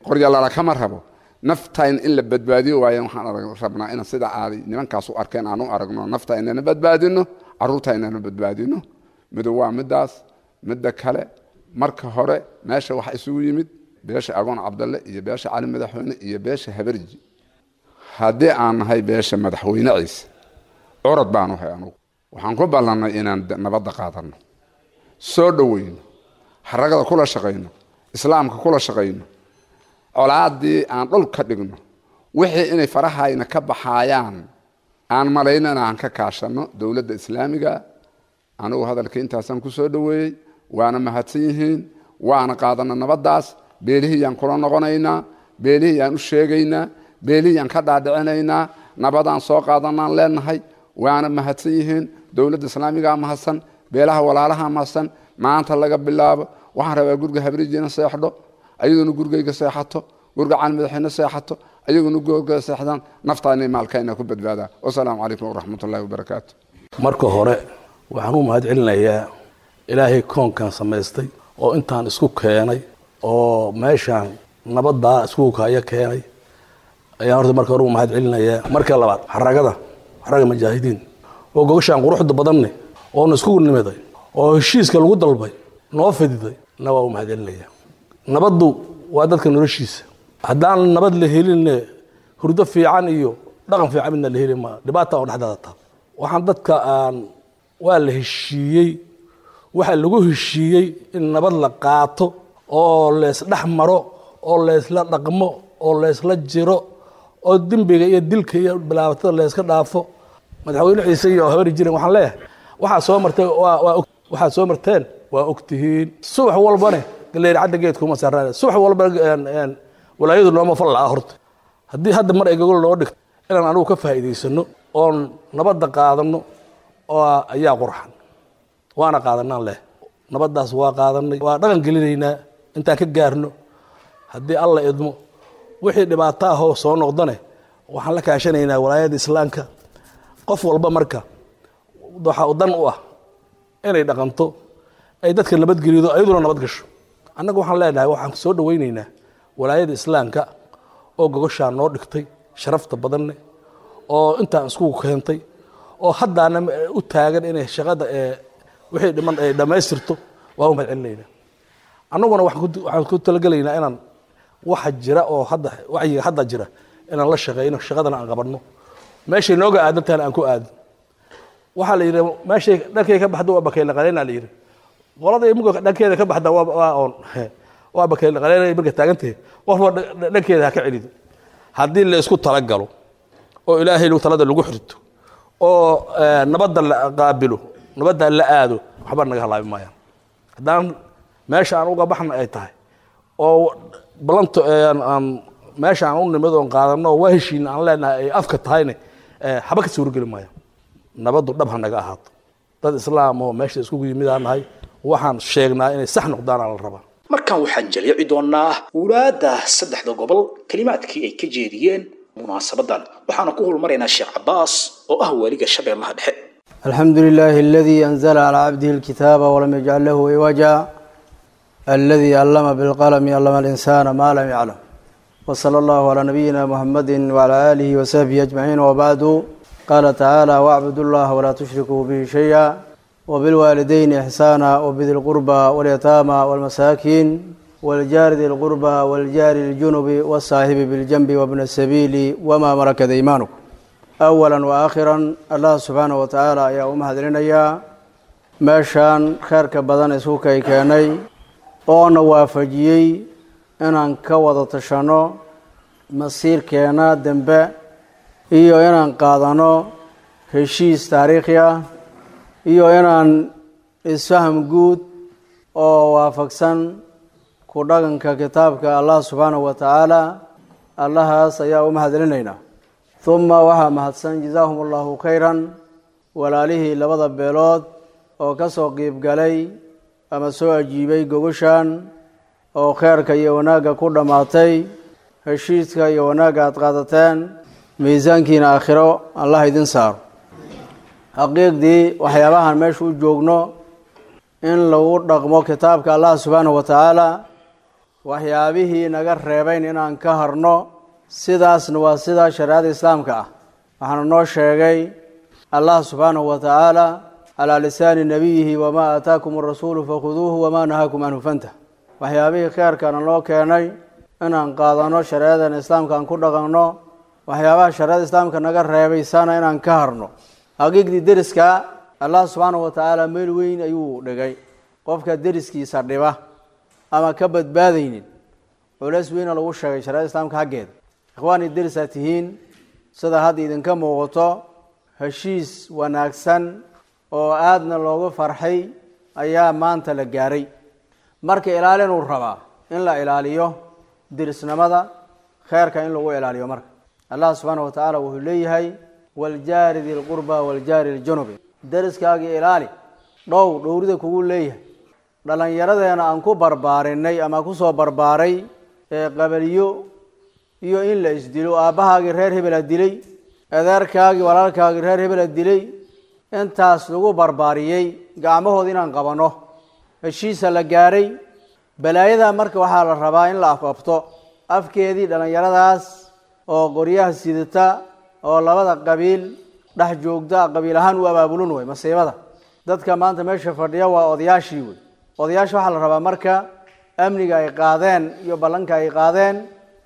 qorya lalakama rabo, naftayn in la badbaadiyo waayan. Waxaan rabnaa inaan sida aaday nimankaas u arkeen aan u aragno, nafta inana badbaadino, carruurta inana badbaadino. Mido waa midaas. Midda kale, Marka hore meesha waxa isugu yimid beesha Agoon Cabdalle iyo beesha Cali Madaxweyne iyo beesha Habarji. Haddii aan nahay beesha Madaxweyne Ciise, curad baan u hay anugu. Waxaan ku ballannay inaan nabadda qaadanno, soo dhoweyno, xaragada kula shaqayno, islaamka kula shaqayno, colaaddii aan dhul ka dhigno, wixii inay farahayna ka baxaayaan aan malaynana aan ka kaashanno dowladda islaamiga. Anigu hadalka intaasaan ku soo dhoweeyey, waana mahadsan yihiin, waana qaadanna nabaddaas. Beelihiyaan kula noqonaynaa, beelihiyaan u sheegaynaa, beelihiyaan ka dhaadhicinaynaa, nabadaan soo qaadanaan leenahay. Waana mahadsan yihiin, dowladda islaamigaa mahadsan, beelaha walaalaha mahadsan. Maanta laga bilaabo waxaan rabaa guriga Habrijiina seexdho, ayaduna gurigayga seexato, guriga Cali Madaxweyne seexato, ayaguna guriga seexdaan, naftaana maalkayna ku badbaadaan. Wasalaamu calaykum waraxmatullaahi wabarakaatu. Marka hore waxaan u mahad celinayaa Ilaahay koonkan samaystay oo intaan isku keenay oo meeshaan nabaddaa isku kaya keenay ayaan horta marka hore u mahad celinayaa. Marka labaad xaragada xaraga mujaahidiin oo gogashaan quruxda badanne oona isku nimiday oo heshiiska lagu dalbay noo fididay na waa u mahad celinayaa. Nabaddu waa dadka noloshiisa. Haddaan nabad la helinne hurdo fiican iyo dhaqan fiican midna la heli maa, dhibaata oo dhexdaada taa. Waxaan dadka aan waa la heshiiyey, waxaa lagu heshiiyey in nabad la qaato oo leysdhex maro oo leysla dhaqmo oo leysla jiro oo dembiga iyo dilka iyo bilaabatada layska dhaafo. Madaxweyne Ciise iyo Habari jiren waxaan leeyahay waxaa soo martay waa waa waxaad soo marteen waa ogtihiin. Subax walbane galeer cadda geedkuma saaraan, subax walba walaayadu nooma fal la'a. Horta haddii hadda mar ay gogol noo dhigto inaan anigu ka faa'iidaysano oon nabadda qaadano oo ayaa qurxan, waana qaadanaan leh. Nabaddaas waa qaadanay, waa dhaqan gelinaynaa intaan ka gaarno haddii Alla idmo. Wixii dhibaato ahoo soo noqdane waxaan la kaashanaynaa walaayadda islaamka. Qof walba marka waxa u dan u ah inay dhaqanto, ay dadka nabadgelido, ayaduna nabad gasho. Annagu waxaan leenahay waxaan soo dhoweynaynaa walaayadda islaamka oo gogoshaa noo dhigtay sharafta badanne oo intaan isku keentay oo haddaana u taagan inay shaqada ee wixii dhiman ay dhammaystirto. Waa u mahad celinaynaa. Annaguna waxaan ku talagelaynaa inaan waxa jira oo hadda wacyiga hadda jira inaan la shaqeyno, shaqadana aan qabanno, meeshay nooga aadan tahana aan ku aadno. Waxaa la yidhi meeshay dhankay ka baxda waa bakayla qaleyna la yidhi, qolada imuga dhankeeda ka baxda waa waa oon waa bakayla qaleyna marka taagantahay, qofba dhankeeda ha ka celido. Haddii la isku talagalo oo Ilaahay lagu talada lagu xirto oo nabadda la qaabilo, nabadda la aado, waxba naga halaabi maayaan. Haddaan meesha aan uga baxna ay tahay oo ballanto aan meesha aan u nimid oon qaadano waa heshiina aan leenahay ay afka tahayne, haba ka suurogeli maayaan. Nabaddu dhab ha naga ahaato. Dad islaam oo meesha iskugu yimid aan nahay, waxaan sheegnaa inay sax noqdaan aan la rabaa. Markan waxaan jaleeci doonaa wulaadda saddexda gobol kelimaadkii ay ka jeediyeen munaasabadan, waxaana ku holmaraynaa Sheekh Cabaas oo ah waaliga Shabeellaha Dhexe. الحمد لله الذي أنزل على عبده الكتاب ولم يجعل له عوجا، الذي علم بالقلم، علم الإنسان ما لم يعلم، وصلى الله على نبينا محمد وعلى آله وصحبه أجمعين، وبعد. قال تعالى: واعبدوا الله ولا تشركوا به شيئا وبالوالدين إحسانا وبذي القربى واليتامى والمساكين والجار ذي القربى والجار الجنب والصاحب بالجنب وابن السبيل وما ملكت أيمانكم. أولا وآخرا الله سبحانه وتعالى ayaa u mahadcelinayaa meeshaan kheyrka badan isku kay keenay oona waafajiyey inaan ka wada tashano masiirkeena dambe iyo inaan qaadano heshiis taariikhi ah iyo inaan isfaham guud oo waafaqsan ku dhaqanka kitaabka Allah subxaanahu wa tacaala. Allahaas ayaa u mahadcelinaynaa. Uma waxaa mahadsan, jazaahum allahu khayran, walaalihii labada beelood oo ka soo qiibgalay ama soo ajiibay gogoshan oo kheyrka iyo wanaagga ku dhammaatay. Heshiiska iyo wanaagga aad qaadateen miisaankiina aakhiro Allah idin saaro. Xaqiiqdii waxyaabahan meesha u joogno in lagu dhaqmo kitaabka Allah subxaanahu wa tacaala, waxyaabihii naga reebayn inaan ka harno, sidaasna waa sidaa shareecada islaamka ah. Waxaana noo sheegay Allah subxaanahu wa tacaala على لسان نبيه وما آتاكم الرسول فخذوه وما نهاكم عنه فانتهوا. Waxyaabihii kheerkana loo keenay inaan qaadano, shareecadan islaamka aan ku dhaqanno, waxyaabaha shareecada islaamka naga reebaysana inaan ka harno. Xaqiiqdii deriska Allah subxaanahu wa tacaala meel weyn ayuu dhigay. Qofka deriskiisa dhiba ama ka badbaadaynin culays weyna lagu sheegay shareecada islaamka xaggeeda. Ikhwaani, derisaa tihiin, sida hadda idinka muuqato heshiis wanaagsan oo aadna loogu farxay ayaa maanta la gaaray. Marka ilaalinuu rabaa in la ilaaliyo derisnimada, kheerka in lagu ilaaliyo. Marka Allah subxaanahu wa tacaala wuxuu leeyahay waljaari di lqurba waljaari ljunubi, deriskaagii ilaali, dhow dhowrida kugu leeyahay. Dhallinyaradeena aan ku barbaarinay ama kusoo barbaaray ee qabaliyo iyo in la isdilo, aabbahaagii reer hebela dilay, adeerkaagii walaalkaagii reer hebela dilay, intaas lagu barbaariyey, gacmahooda inaan qabanno. Heshiisa la gaaray balaayada marka waxaa la rabaa in la afafto afkeedii dhallinyaradaas oo qoryaha sidata oo labada qabiil dhex joogta, qabiil ahaan u abaabulun wey masiibada. Dadka maanta meesha fadhiya waa odayaashii wey. Odayaasha waxaa la rabaa marka amniga ay qaadeen iyo ballanka ay qaadeen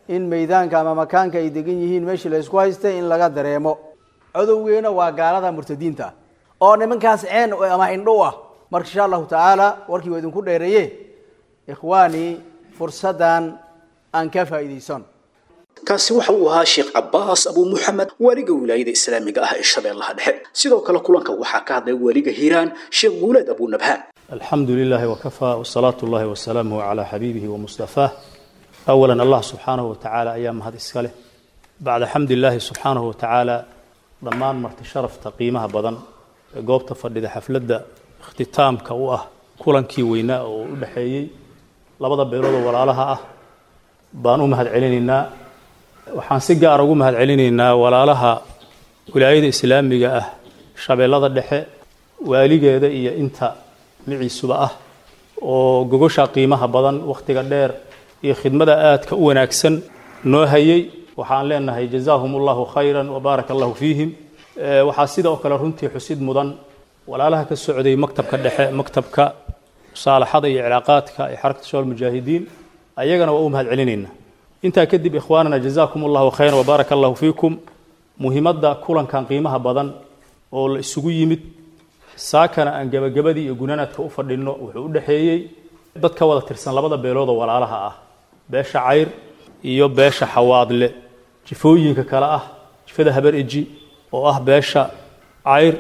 in meydaanka ama makaanka ay degan yihiin meeshii la isku haystay in laga dareemo. Codowgeena waa gaalada murtadiinta ah oo nimankaas ceen ama indho u ah. Marka insha allahu tacaala warkii waa idinku dheereeye, ikhwaanii, fursaddan aan ka faa'iidaysan. Kaasi waxa uu ahaa Sheekh Cabbaas Abu Muxamed, waaliga wilaayada islaamiga ah ee Shabeellaha Dhexe. Sidoo kale kulanka waxaa ka hadlay waaliga Hiiraan, Sheekh Guuleed Abu Nabhaan. الحمد لله وكفى وصلاة الله وسلامه على حبيبه ومصطفاه. أولا الله سبحانه وتعالى أيام هذا إسكاله، بعد حمد الله سبحانه وتعالى ضمان مرت شرف تقييمها بدن goobta fadhida xafladda ikhtitaamka u ah kulankii weynaa oo u dhexeeyey labada beelood oo walaalaha ah baan u mahadcelinaynaa. Waxaan si gaar ugu mahadcelinaynaa walaalaha wilaayada islaamiga ah Shabeellada Dhexe, waaligeeda iyo inta miciisuba ah oo gogosha qiimaha badan, wakhtiga dheer iyo khidmada aadka u wanaagsan noo hayay. Waxaan leenahay jazaahum allahu khayran wa baaraka allahu fiihim. Waxaa sidoo kale runtii xusid mudan walaalaha ka socday maktabka dhexe, maktabka musaalaxada iyo cilaaqaadka ee Xarakata Shabaab Mujaahidiin, ayagana waa u mahadcelinaynaa. Intaa kadib, ikhwaanana, jazaakum allahu khayran wa baaraka allahu fiikum. Muhiimadda kulankan qiimaha badan oo la isugu yimid saakana aan gabagabadii iyo gunaanaadka u fadhinno wuxuu u dhexeeyey dad ka wada tirsan labada beelood oo walaalaha ah, beesha Cayr iyo beesha Xawaadle, jifooyinka kale ah jifada Habar Eji oo ah beesha Cayr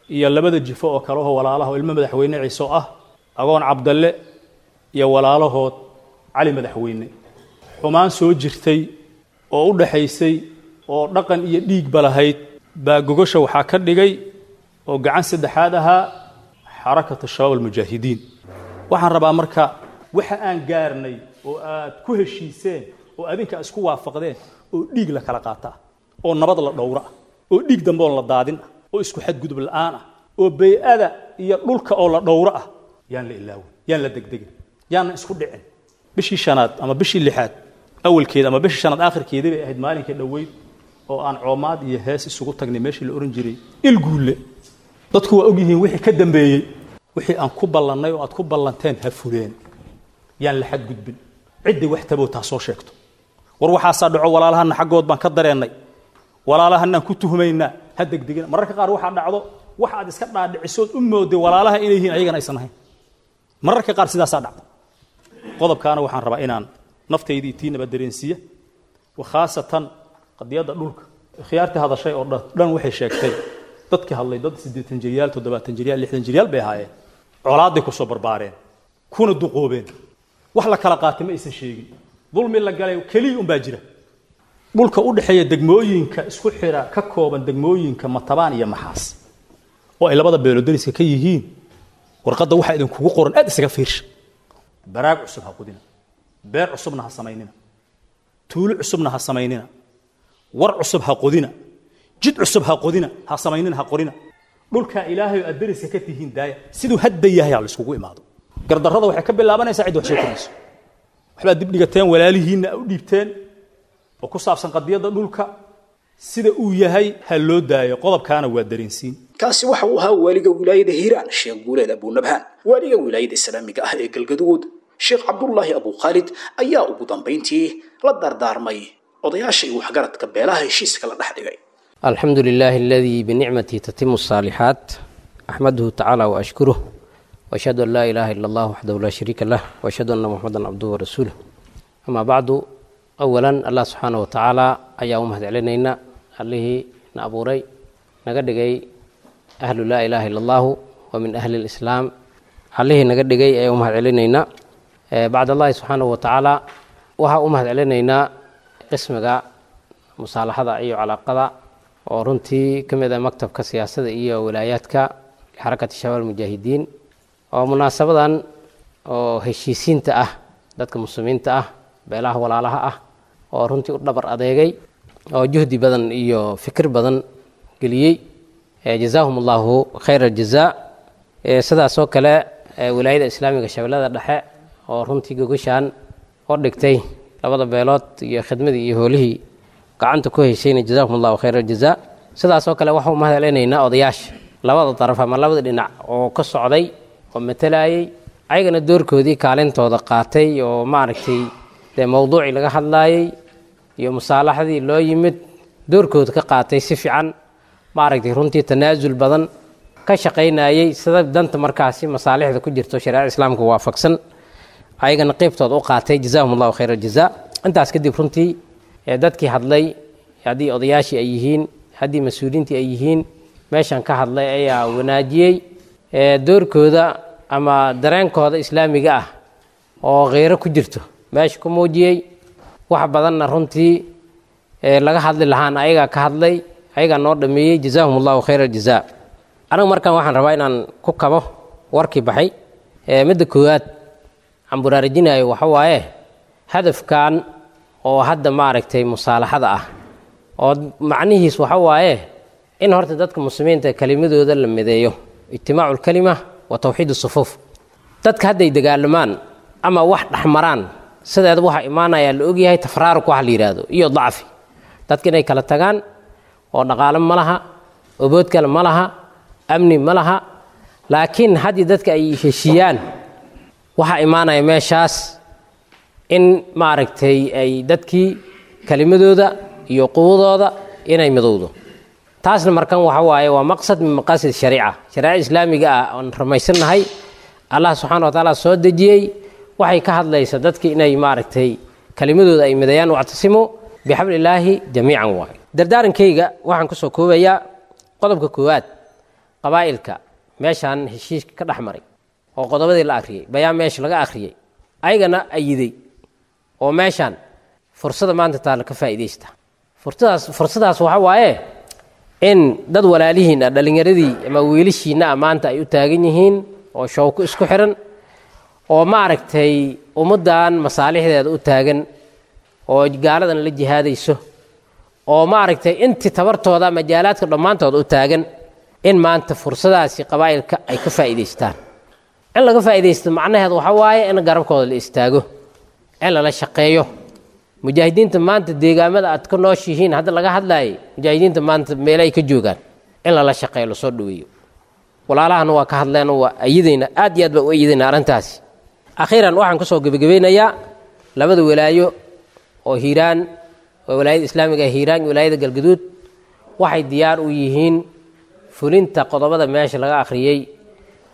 iyo labada jifo oo kale oo walaalaha oo ilmo madaxweyne Ciise oo ah Agoon Cabdalle iyo walaalahood Cali Madaxweyne. Xumaan soo jirtay oo u dhaxaysay oo dhaqan iyo dhiigba lahayd baa gogosha waxaa ka dhigay oo gacan saddexaad ahaa Xarakatu Shabaab Almujaahidiin. Waxaan rabaa marka waxa aan gaarnay oo aad ku heshiiseen oo adinka isku waafaqdeen oo dhiig la kala qaata oo nabad la dhowra oo dhiig dambe oon la daadin ah oo isku xadgudub la'aan ah oo bey'ada iyo dhulka oo la dhowro ah, yaan la ilaawin, yaan la degdegin, yaanna isku dhicin. Bishii shanaad ama bishii lixaad awalkeeda ama bishii shanaad aakhirkeedii bay ahayd maalinkii dhoweyd oo aan coomaad iyo hees isugu tagnay meeshii la oran jiray Ilguulle. Dadku waa ogyihiin wixii ka dambeeyey. Wixii aan ku ballannay oo aad ku ballanteen ha fuleen, yaan la xadgudbin. Ciddii wax tabootaa soo sheegto, war waxaasaa dhaco, walaalahana xaggood baan ka dareennay, walaalahanaan ku tuhmaynaa, ha degdegina. Mararka qaar waxaa dhacdo wax aad iska dhaadhicisood u mooday walaalaha inay yihiin ayagana aysan ahayn. Mararka qaar sidaasaa dhacda. Qodobkaana waxaan rabaa inaan naftaydii tiinaba dareensiiya, khaasatan qadiyadda dhulka. Khiyaartii hadashay oo dhan waxay sheegtay, dadkii hadlay dad siddeetan jiryaal, toddobaatan jiryaal, lixdan jiryaal bay ahaayeen, colaaday ku soo barbaareen kuna duqoobeen, wax la kala qaatay ma aysan sheegin, dulmi la galay keliya unbaa jira. Dhulka u dhexeeya degmooyinka isku xira ka kooban degmooyinka Matabaan iyo Maxaas oo ay labada beelood dariska ka yihiin, warqadda waxaa idinkugu qoran aad isaga fiirsha. Baraag cusub ha qudina, beer cusubna ha samaynina, tuulo cusubna ha samaynina, war cusub ha qodina, jid cusub ha qodina, ha samaynina, ha qorina. Dhulka Ilaahay oo aad dariska ka tihiin daaya siduu hadda yahay ha la iskugu imaado. Gardarrada waxay ka bilaabanaysaa cid wax soo kordhiso. Waxbaad dib dhigateen, walaalihiinna u dhiibteen oo ku saabsan qadiyadda dhulka. Sida uu yahay ha loo daayo, qodobkaana waa dareensiin. Kaasi waxa uu ahaa waaliga wilaayada Hiiraan, Sheekh Guuleed Abuunabhaan. Waaliga wilaayada islaamiga ah ee Galgaduud, Sheekh Cabdullaahi Abukhaalid, ayaa ugu dambayntii la dardaarmay odayaasha iyo waxgaradka beelaha heshiiska la dhex dhigay. الحمد لله الذي بنعمته تتم الصالحات، أحمده تعالى وأشكره، وأشهد أن لا إله إلا الله وحده لا شريك له، وأشهد أن محمدا عبده ورسوله. أما بعد، أولا الله سبحانه وتعالى أيا أمهد علينا عليه نأبوري نقدقي أهل لا إله إلا الله ومن أهل الإسلام عليه نقدقي أيا أمهد علينا. بعد الله سبحانه وتعالى وها أمهد علينا قسمك مصالحة أي علاقة oo runtii ka mid ah maktabka siyaasadda iyo walaayaadka xarakati shabaab mujaahidiin, oo munaasabadan oo heshiisiinta ah dadka muslimiinta ah, beelaha walaalaha ah, oo runtii u dhabar adeegay oo juhdi badan iyo fikir badan geliyey, jazaahum allahu khayra aljazaa. Sidaas oo kale wilaayada islaamiga Shabeellada Dhexe oo runtii gogashaan oo dhigtay labada beelood iyo khidmadii iyo hoolihii gacanta ku heshayna, jazaahum allahu khayra aljazaa. Sidaas oo kale waxaan u mahadcelinaynaa odayaasha labada daraf ama labada dhinac oo ka socday oo matalayay, ayagana doorkoodii kaalintooda qaatay oo maaragtay dee mowduucii laga hadlaayay iyo musaalaxadii loo yimid doorkooda ka qaatay si fiican, maaragtay runtii tanaasul badan ka shaqaynayay sida danta markaasi masaalixda ku jirto shareecada islaamka waafaqsan, ayagana qeybtooda u qaatay, jazaahum allahu khayra aljazaa. Intaas kadib runtii dadkii hadlay, haddii odayaashii ay yihiin, haddii mas-uuliyiintii ay yihiin, meeshan ka hadlay ayaa wanaajiyey doorkooda ama dareenkooda islaamiga ah oo kheyro ku jirto meesha ku muujiyey. Wax badanna runtii laga hadli lahaan ayagaa ka hadlay, ayagaa noo dhameeyey, jazaahum allahu khayra aljazaa. Anigu markan waxaan rabaa inaan ku kabo warkii baxay. Midda koowaad aan buraarajinayo waxa waaye hadafkan oo hadda maaragtay musaalaxada ah, oo macnihiis waxa waaye in horta dadka muslimiinta kelimadooda la mideeyo, ijtimaacu lkalima wa tawxiid sufuuf. Dadka hadday dagaalamaan ama wax dhexmaraan, sideeda waxaa imaanayaa la ogyahay tafraaruk waxa la yidhaahdo iyo dacfi, dadka inay kala tagaan oo dhaqaalo ma laha, obood kale ma laha, amni ma laha. Laakiin haddii dadka ay heshiiyaan, waxaa imaanaya meeshaas in maaragtay ay dadkii kelimadooda iyo quwadooda inay midowdo. Taasna markan waxa waaye waa maqsad min maqaasid shariica, shariica islaamiga ah oon rumaysannahay Allah subxaana wa tacaala soo dejiyey, waxay ka hadlaysa dadki inay maaragtay kelimadooda ay mideeyaan, wactasimu bixablillaahi jamiican. Waaye dardaarankayga waxaan kusoo koobayaa qodobka koowaad, qabaa'ilka meeshaan heshiiska ka dhex maray oo qodobadii la akhriyey, bayaan meesha laga akhriyey, ayagana ayiday oo meeshaan fursada maanta taalla ka faa'iidaysta. Fursadaas fursadaas waxa waaye in dad walaalihiin ah, dhallinyaradii ama wiilashiinna ah, maanta ay u taagan yihiin oo showko isku xiran oo maaragtay ummaddan masaalixdeeda u taagan oo gaaladan la jihaadayso oo maaragtay intii tabartooda majaalaadka dhammaantooda u taagan, in maanta fursadaasi qabaa'ilka ay ka faa'iidaystaan. In laga faa'iidaysto macnaheedu waxa waaye in garabkooda la istaago, in lala shaqeeyo mujaahidiinta maanta deegaamada aad ka nooshihiin. Hadda laga hadlaayay mujaahidiinta maanta meel ay ka joogaan in lala shaqeeyo, lasoo dhaweeyo. Walaalahana waa ka hadleen, waa ayidayna, aad iyo aad baa u ayidayna arrintaasi. Akhiiran waxaan kusoo gebagabaynayaa labada walaayo oo Hiiraan, oo walaayada islaamiga ee Hiiraan iyo walaayada Galgaduud, waxay diyaar u yihiin fulinta qodobada meesha laga akhriyey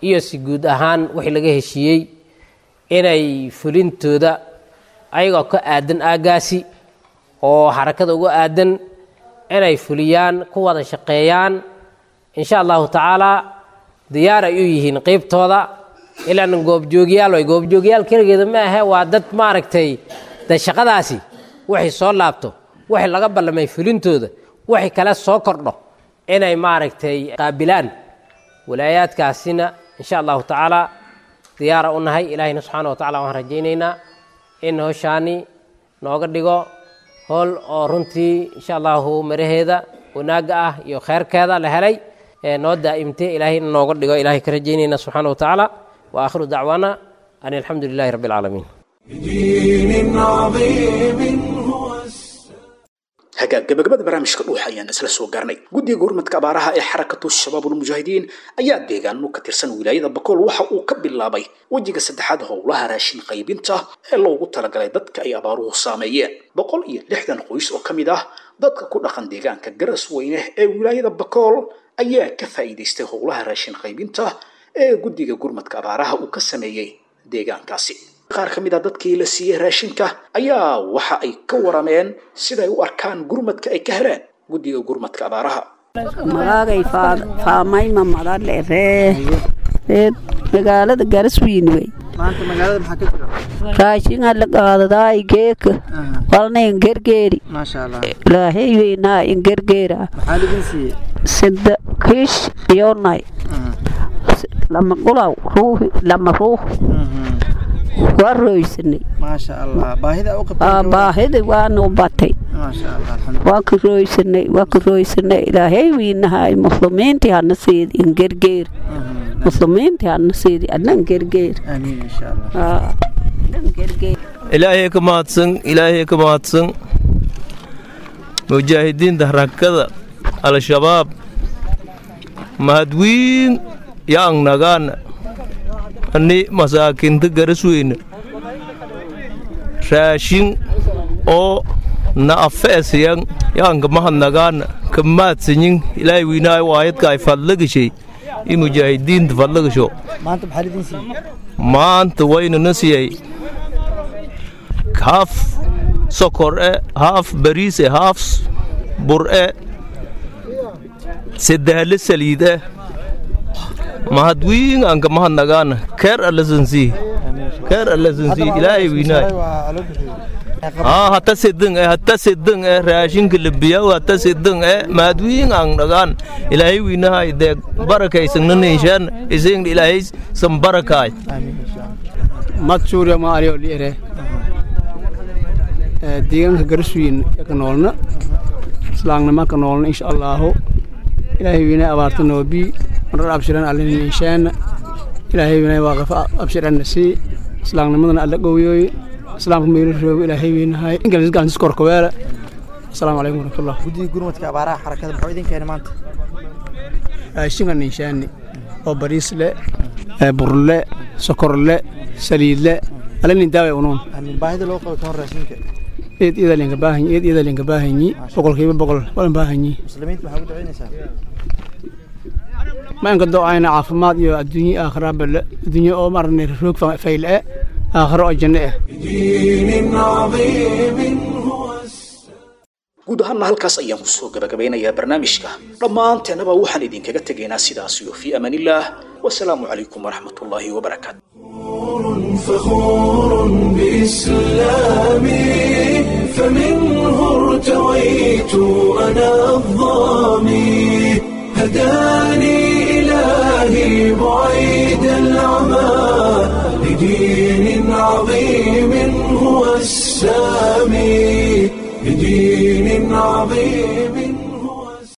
iyo si guud ahaan wixii laga heshiiyey inay fulintooda ayagoo ka aadan aaggaasi oo xarakada uga aadan inay fuliyaan, ku wada shaqeeyaan insha allahu tacaalaa. Diyaar ay u yihiin qeybtooda ilaan goobjoogyaal way goobjoogyaal keligeeda ma ahe, waa dad maaragtay de shaqadaasi waxay soo laabto, wixii laga ballamay fulintooda, wixii kale soo kordho inay maaragtay qaabilaan. Walaayaadkaasina insha allahu tacaalaa diyaara u nahay. Ilaahayna subxaana wa tacala waxaan rajaynaynaa in howshaani nooga dhigo howl oo runtii insha allahu maraheeda wanaagga ah iyo kheyrkeeda la helay ee noo daa'imtay, ilaahay in nooga dhigo ilahay ka rajaynayna subxaana wa tacaala. Wa aakhiru dacwaana an alxamdu lilahi rabbi alcaalamiin. بدين عظيم هو Hagaag, gabagabada barnaamijka Dhuuxa ayaan isla soo gaarnay. Guddiga gurmadka abaaraha ee Xarakatu Shabaabulmujaahidiin ayaa deegaano ka tirsan wilaayada Bakool waxa uu ka bilaabay wejiga saddexaad howlaha raashin qaybinta ee loogu talagalay dadka ay abaaruhu saameeyeen. Boqol iyo lixdan qoys oo ka mid ah dadka ku dhaqan deegaanka Garasweyne ee wilaayada Bakool ayaa ka faa'iidaystay howlaha raashin qaybinta ee guddiga gurmadka abaaraha uu ka sameeyey deegaankaasi. Qaar ka mid ah dadkii la siiyey raashinka ayaa waxa ay ka warameen siday u arkaan gurmadka ay ka heleen guddiga gurmadka abaaraha. Magaagay faamayma madadleree reer magaalada Garaswiin wey. Maanta magaalada maxaa ka jira? Raashinga la qaadadaay geeka walna ingergeeri. Maasha Allah. Ilaahay weynaa ingergeera. Maxaa lidin siiyey? Sida kiish iyoonay lama qulaw ruuhi lama ruux waa roysanay. Maasha Allah, baahida u qabtay. Baahida waanu batay. Maasha Allah, alxamdulillah. Waa ka roysanay, waa ka roysanay. Ilaahay weynahay muslimiintii hana siidi ingergeer, muslimiintii hana siidi adna ingergeer. Aamiin, insha Allah. Ilaahay ka mahadsan, Ilaahay ka mahadsan. Mujaahidiinta Harakada Al-Shabaab mahadwiin yaang nagaana ani masaakiinta Garasweyne raashin oo na afeesiyan yaanka mahadnagaana ka mahadsanyin. Ilaahay wiinaayo waayadka ay fadlagashay i mujaahidiinta fadlagasho. Maanta maxaa lidin siiyey? Maanta wayna na siiyey haaf sokor e, haaf bariis e, haaf bur e, saddexle saliid e. Mahadwiin anka mahadnagaana. Keer allasansii, keer allasansii, Ilaahay wiinaay. Haa, hata sedeng e, hata sedeng e raashinka labiyaw hata sedeng e. Mahadwiin ang nagaan. Ilaahay wiinahay deeg barakaysanna ising Ilaahay san barakaay. Mad suurya ma ariyo liere deegaanka Garaswiin ka noolna, islaamnima ka noolna. Insha Allahu Ilaahay wiinay abaarta noobi marar abshiran allin inshaan. Ilaahay wiinay waaqaf abshiran nasi islaamnimadana alla gowyoy islaamka meelo roogo. Ilaahay wiinahay ingiliis gacan korkoweela. Asalaamu calaykum waraxmatullah. Guddiga gurmadka abaaraha xarakada muxuu idin keenay maanta? Raashinka ninshaani oo bariis le, burle, sokorle, saliidle alinin daaway unuun. Aamin. Baahida loo qabo toon raashinka? Eed iyada linka baahanyi, eed iyada linka baahanyi, boqolkiiba boqol walan baahanyi. Muslimiinta maxaa ugu ducaynaysaa? Ma inka doocayna caafimaad iyo adduunye aakhira bale, adduunye oo marnay roog fayl eh, aakhiro oo janno eh. دين عظيم هو. Guud ahaanna halkaas ayaan kusoo gabagabeynayaa barnaamijka. Dhammaanteennaba waxaan idinkaga tegaynaa sidaas iyo fii amaanillaah. Wasalaamu calaykum waraxmatullaahi wabarakaatu. فخور بإسلامي، فمنه ارتويت أنا الظامي، هداني إلهي بعيد العمى لدين عظيم هو السامي، لدين عظيم.